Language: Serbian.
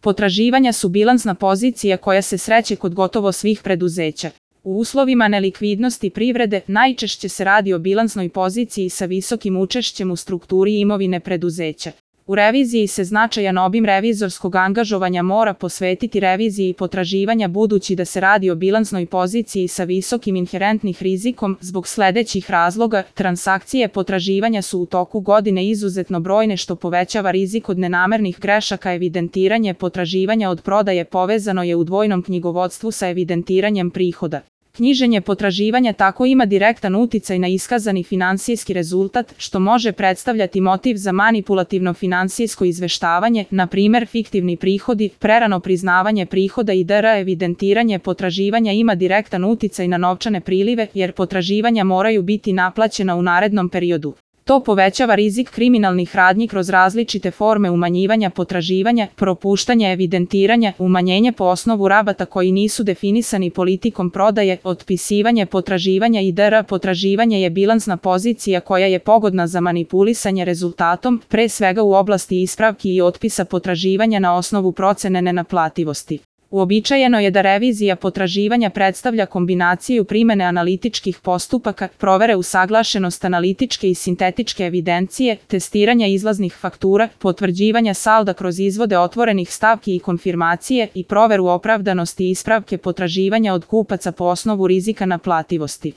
Potraživanja su bilansna pozicija koja se sreće kod gotovo svih preduzeća. U uslovima nelikvidnosti privrede najčešće se radi o bilansnoj poziciji sa visokim učešćem u strukturi imovine preduzeća. U reviziji se značajan obim revizorskog angažovanja mora posvetiti reviziji potraživanja budući da se radi o bilansnoj poziciji sa visokim inherentnih rizikom zbog sledećih razloga. Transakcije potraživanja su u toku godine izuzetno brojne što povećava rizik od nenamernih grešaka. Evidentiranje potraživanja od prodaje povezano je u dvojnom knjigovodstvu sa evidentiranjem prihoda. Knjiženje potraživanja tako ima direktan uticaj na iskazani finansijski rezultat, što može predstavljati motiv za manipulativno finansijsko izveštavanje, na primer fiktivni prihodi, prerano priznavanje prihoda i dr. Evidentiranje potraživanja ima direktan uticaj na novčane prilive, jer potraživanja moraju biti naplaćena u narednom periodu. To povećava rizik kriminalnih radnji kroz različite forme umanjivanja potraživanja, propuštanje evidentiranja, umanjenje po osnovu rabata koji nisu definisani politikom prodaje, otpisivanje potraživanja i dr. Potraživanje je bilansna pozicija koja je pogodna za manipulisanje rezultatom, pre svega u oblasti ispravki i otpisa potraživanja na osnovu procene nenaplativosti. Uobičajeno je da revizija potraživanja predstavlja kombinaciju primene analitičkih postupaka, provere usaglašenost analitičke i sintetičke evidencije, testiranja izlaznih faktura, potvrđivanja salda kroz izvode otvorenih stavki i konfirmacije i proveru opravdanosti ispravke potraživanja od kupaca po osnovu rizika naplativosti.